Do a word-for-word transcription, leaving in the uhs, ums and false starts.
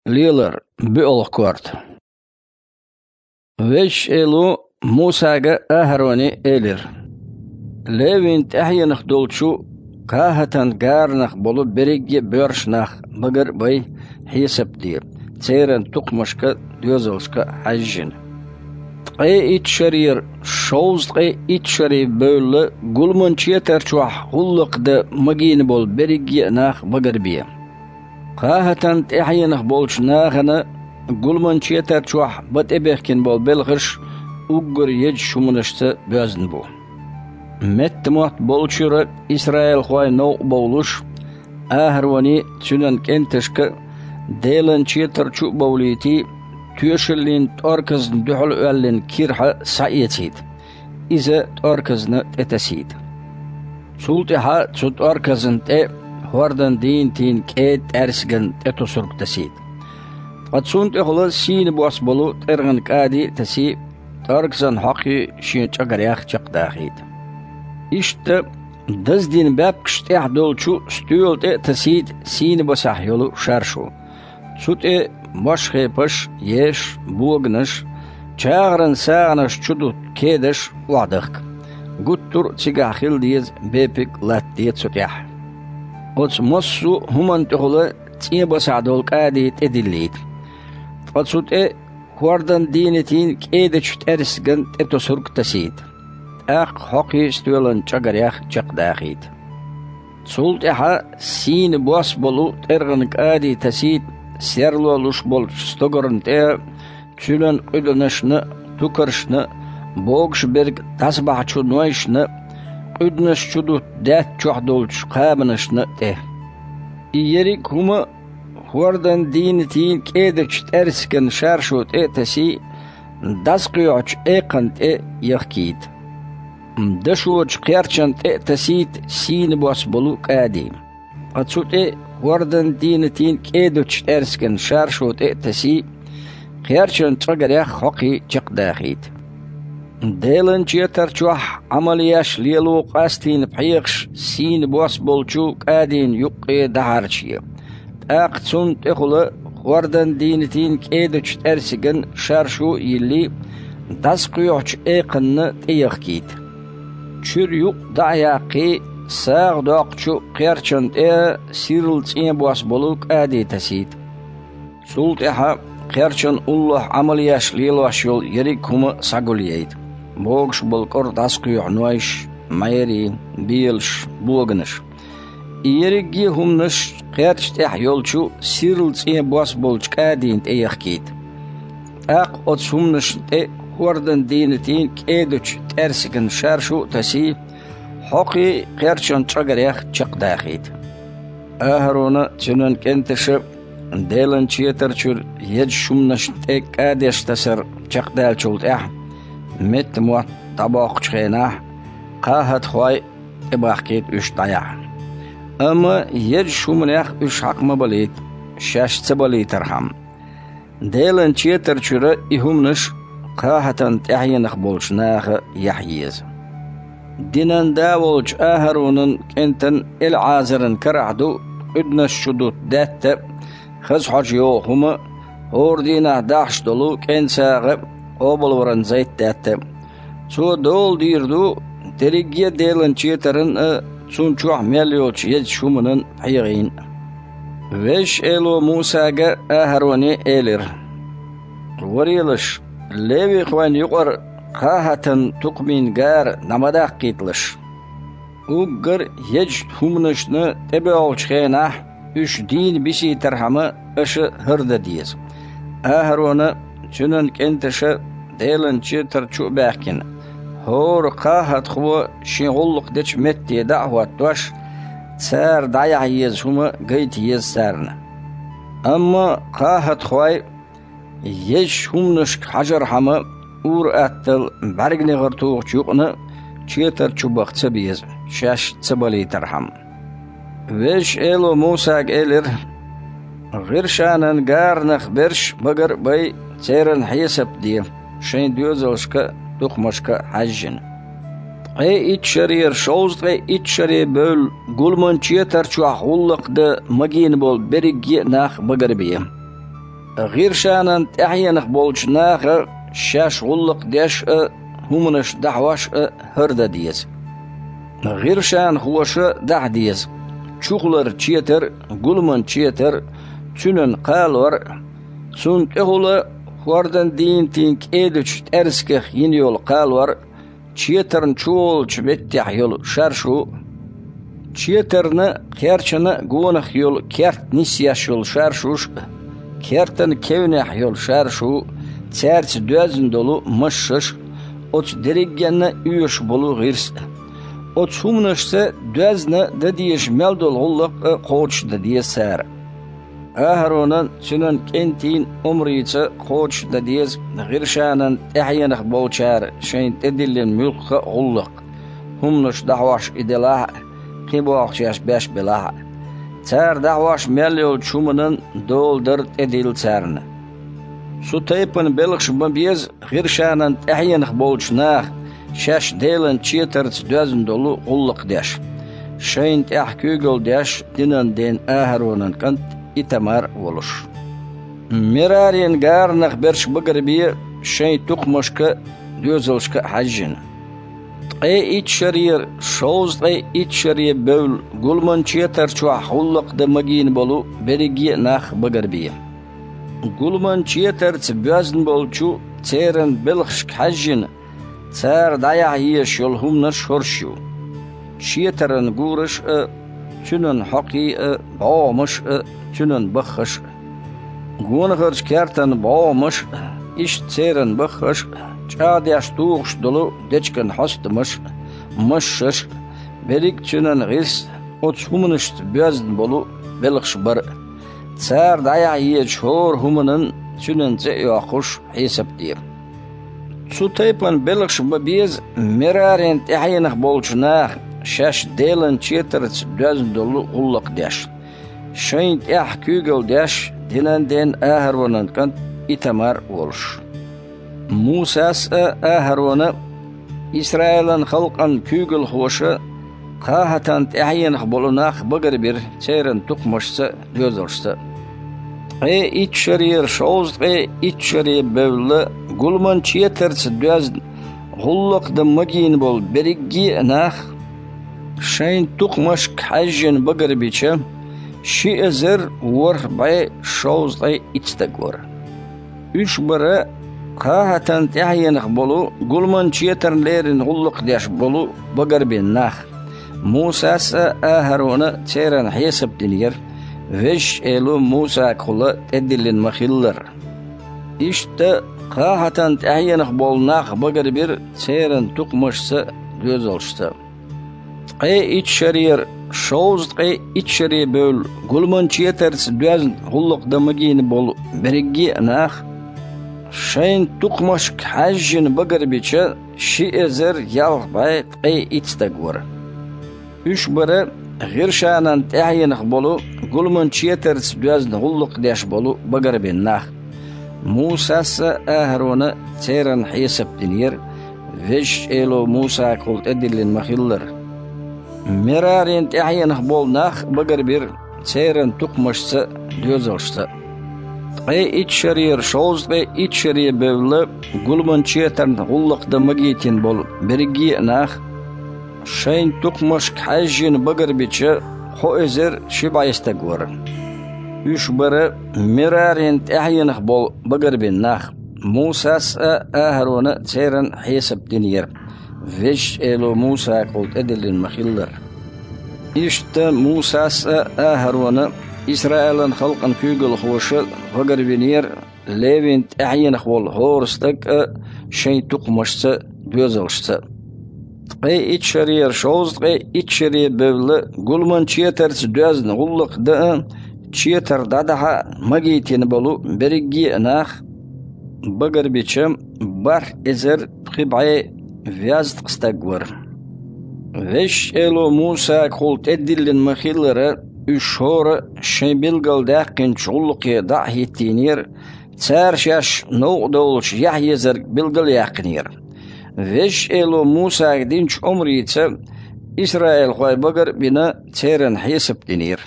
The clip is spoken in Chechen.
Лелар, буьалгӀа корта. Везачу Эло Мусага а, АхӀароне а элира: «Левин тӀаьхьенах долчу КхахӀатан гаранах болу берриге а боьрша нах багар а бай, хьесап а де, церан тукхамашка а, доьзалшка а хьаьжжина. Ткъе итт шарера шовзткъе итт шаре бевлла, гуламан четар чохь гӀуллакх дан магийна болу берриге а нах багар а бе. КхахӀатан тӀаьхьенах болчу нахана гуламан четар чохь бан тӀебехкина болу белхаш уггар езачу хӀуманашца боьзна бу». Меттамотт болчуьра исраилхой новкъа бовлуш, АхӀароне а, цуьнан кӀенташка а Делан четар чу а бовлийтий, тоьшаллин тӀорказна дуьхьал оьллина кирхьа схьаэцийта, иза тӀорказна тӀе тасийта. Цул тӀаьхьа цу тӀорказна тӀе хӀордан дийнатийн кӀеда тӀаьрсиган тӀе тосург тасийта. Ткъа цунна тӀехула сийна бос болу тӀергӀан кӀади а тасий, тӀорказан хьокхий шен чӀагарех чекхдахийта. Иштта даздина баьпкаш тӀехь долчу стоьла тӀе а тасийта сийна басахь йолу шаршу. Цу тӀе мошхепаш, еш, боганаш, чагӀаран сагӀанаш чу дутту кедаш охьадахка. Гуттар а цигахь хила деза бепиг а латтаде цу тӀехь. Оцу массо а хӀуманна тӀехула цӀен басахь долу кӀади тӀедиллийта. Ткъа цу тӀе хӀордан дийнатийн кӀедачу тӀаьрсиган тӀе тосург тасийта. ТӀаккха хьокхий стоьлан чӀагарех чекхдахийта. Цул тӀаьхьа сийна бос болу тӀергӀан кӀади тасийта серло луш болчу стогарна тӀе а, цуьнан къуьданашна а, тукаршна а, богуш берг дӀасабахьачу нойшна а, къуьданаш чу дутту даьтта чохь долчу кхабанашна а тӀе. И ерриг а хӀума хӀордан дийнатийн кӀедачу тӀаьрсиган шаршу тӀе а тасий, дӀасакхоьхьучу экханна тӀе а яхкийта. Дашочу кхерчан тӀе а тасийта сийна бос болу кӀади. Ткъа цу тӀе хӀордан дийнатийн кӀедачу тӀаьрсиган шаршу тӀе а тасий, кхерчан чӀагарех хьокхий чекхдахийта. Делан четар чохь Ӏамал еш лело къастийна пхьегӀаш сийна бос болчу кӀадина юккъе дӀахьарчае. ТӀаккха цунна тӀехула хӀордан дийнатийн кӀедачу тӀаьрсиган шаршу а йиллий, дӀасакхоьхьучу экханна тӀе яхкийта. Чуьра юкъ дӀа а яьккхий, сагӀа доккхучу кхерчан тӀе а сирла цӀен бос болу кӀади тасийта. Цул тӀаьхьа кхерчан уллохь Ӏамал еш лелош йолу ерриг а хӀума схьагулъяйта: богуш болу кӀора дӀасакхоьхьу нойш, мӀерий, белаш, боганаш. И ерриге а хӀуманаш кхерча тӀехь йолчу сирла цӀен бос болчу кӀадина тӀе яхкийта. ТӀаккха оцу хӀуманашна тӀе хӀордан дийнатийн кӀедачу тӀаьрсиган шаршу а тасий, хьокхий кхерчан чӀагарех чекхдахийта. АхӀарона а, цуьнан кӀенташа а Делан четар чуьра езачу хӀуманашна тӀе кӀадеш тасар чекхдаьллачул тӀаьхьа, меттамотт дӀабоккхучу хенахь, кхахӀатхой тӀебахкийта уьш дӀаяхьа. Амма езачу хӀуманех уьш хьакха ма балийта, шаьш ца балийтархьама. Делан четар чуьра и хӀуманаш кхахӀатан тӀаьхьенах болчу наха яхьа еза. Динан да волчу АхӀаронан кӀентан ЭлӀазаран карахь ду къуьданаш чу дутту даьтта а, хаза хьожа йогӀу хӀума а, хӀора дийнахь дахьаш долу кӀен сагӀа а, къобалваран зайтдаьтта а. Цо дола дийр ду дерриге а Делан четаран а, цунна чохь мел йолчу езачу хӀуманан пхьегӀийн а. Везачу Эло Мусага а, АхӀароне а элира: «Варелаш, левихойн юкъара кхахӀатан тукхамийн гара дӀа ма даккхийталаш. Уггар езачу хӀуманашна тӀебоьлхучу хенахь, уьш дийна бисийтархьама, аша хӀара дан деза». АхӀарона а, цуьнан кӀенташа а Делан четар чу а баьхкина, хӀора кхахӀатхо шен гӀуллакх дечу метте дӀа а хӀоттош, цара дӀаяхьа еза хӀума гайта еза царна. Амма кхахӀатхой езачу хӀуманашка хьажархьама, ур-атталла бӀаьрганегӀар тухучу юкъана четар чу баха ца беза, шаьш ца балийтархьама. Везачу Эло Мусага элира: «ГӀиршанан гаранах берш багар а бай, церан хьесап а де, шайн доьзалшка а, тукхамашка а хьаьжжина. Ткъе итт шарера шовзткъе итт шаре бевлла, гуламан четар чохь гӀуллакх дан магийна болу берриге а нах багар а бе. ГӀиршанан тӀаьхьенах болчу наха шаьш гӀуллакх деш а, хӀуманаш дӀахьош а хӀара дан деза. ГӀиршанхоша дахьа деза: чухулара четар, гуламан четар, цуьнан кхалор, цунна тӀехула хӀордан дийнатийн кӀедачу тӀаьрсигах йина йолу кхалор, четарна чу волчу меттехь йолу шаршу, четарна, кхерчана гонах йолу керт нисъеш йолу шаршуш а, кертан кевнехь йолу шаршу, цаьрца доьзна долу машшаш а, оцу дерригенна оьшуш болу гӀирс а. Оцу хӀуманашца доьзна дан дезаш мел долу гӀуллакх а кхочушдан деза цара. АхӀаронан, цуьнан кӀентийн омрица кхочушдан деза гӀиршанан тӀаьхьенах болчара шайна тӀедиллина муьлхха а гӀуллакх, хӀуманаш дӀахьош и делахь а, кхин бохучу шаьш беш белахь а. Цара дӀахьош мел йолчу хӀуманан дола дар тӀедилла царна. Цу тайпана белхаш бан беза гӀиршанан тӀаьхьенах болчу наха, шаьш Делан четарца доьзна долу гӀуллакх деш, шайна тӀехь куьйгалла деш динан ден АхӀаронан кӀант Итамар а волуш. Мерарин гаранах берш багарбе шайн тукхамашка а, доьзалшка а хьаьжжина. Ткъе итт шарера шовзткъе итт шаре бевлла гуламан четар чохь гӀуллакх дан магийна болу берриге а нах багарбе. Гуламан четарца боьзна болчу церан белхашка хьаьжжина, цара дӀаяхьа езаш йолу хӀуманаш хӀорш ю: четаран гураш а, цуьнан хьокхий а, бӀогӀамаш а, цуьнан баххаш а. Гонахарчу кертан бӀогӀамаш а, иштта церан баххаш а, чӀагӀдеш тухуш долу дечиган хьостамаш а, машшаш а, берриг а цуьнан гӀирс а, оцу хӀуманашца боьзна болу белхаш бара а. Цара дӀаяхьа езачу хӀора хӀуманан цуьнан цӀе а йоккхуш, хьесап де. Цу тайпана белхаш бан беза Мерарин тӀаьхьенах болчу наха, шаьш Делан четарца доьзна долу гӀуллакх деш, шайна тӀехь куьйгалла деш динан ден АхӀаронан кӀант Итамар а волуш. Мусас а, АхӀарона а, Исраилан халкъан куьйгалхоша а КхахӀатан тӀаьхьенах болу нах багарбира церан тукхамашца а, доьзалшца а. Ткъе итт шарера шовзткъе итт шаре бевлла гуламан четарца доьзна гӀуллакх дан магийна болу берриге а нах, шайн тукхамашка хьаьжжина багарбича, ши эзар ворхӀ бӀе шовзткъе итт стаг вара. Уьш бара КхахӀатан тӀаьхьенах болу гуламан четарна леррина гӀуллакх деш болу багарбина нах. Мусас а, АхӀарона а церан хьесап динера, Везачу Эло Мусагахула тӀедиллина ма-хиллара. Иштта КхахӀатан тӀаьхьенах болу нах багарбира церан тукхамашца а, доьзалшца а. Ткъе итт шарера шовзткъе итт шаре бевлла гуламан четарца доьзна гӀуллакх дан магийна болу берриге а нах, шайн тукхамашка хьаьжжина багарбича, ши эзар ялх бӀе ткъе итт стаг вара. Уьш бара ГӀиршанан тӀаьхьенах болу гуламан четарца доьзна гӀуллакх деш болу багарбина нах. Мусас а, АхӀарона а церан хьесап динера, Везачу Эло Мусагахула тӀедиллина ма-хиллара. Мерарин тӀаьхьенах болу нах багарбира церан тукхамашца а, доьзалшца а. Ткъе итт шарера шовзткъе итт шаре бевлла гуламан четарна гӀуллакх дан магийтина болу берриге а нах, шайн тукхамашка хьаьжжина багарбича, кхо эзар ши бӀе стаг вара. Уьш бара Мерарин тӀаьхьенах болу багарбина нах. Мусас а, АхӀарона а церан хьесап динера, Везачу Эло Мусагахула тӀедиллина ма-хиллара. Иштта Мусас а, АхӀарона а, Исраилан халкъан куьйгалхоша а багарвинера Левин тӀаьхьенах волу хӀора стаг а шайн тукхамашца а, доьзалшца а. Ткъе итт шарера шовзткъе итт шаре бевлла гуламан четарца доьзна гӀуллакх дан а, четар дӀадахьа а магийтина болу берриге а нах, багарбича, бархӀ эзар пхи бӀе везткъа стаг вара. Везачу Эло Мусагахула тӀедиллина ма-хиллара, уьш хӀора а шайн билгалдаьккхинчу гӀуллакхе дӀа а хӀиттийнера, цара шаьш новкъа довлуш яхьа езарг билгал а яьккхинера. Везачу Эло Мусага динчу омрица исраилхой багар а бина, церан хьесап динера.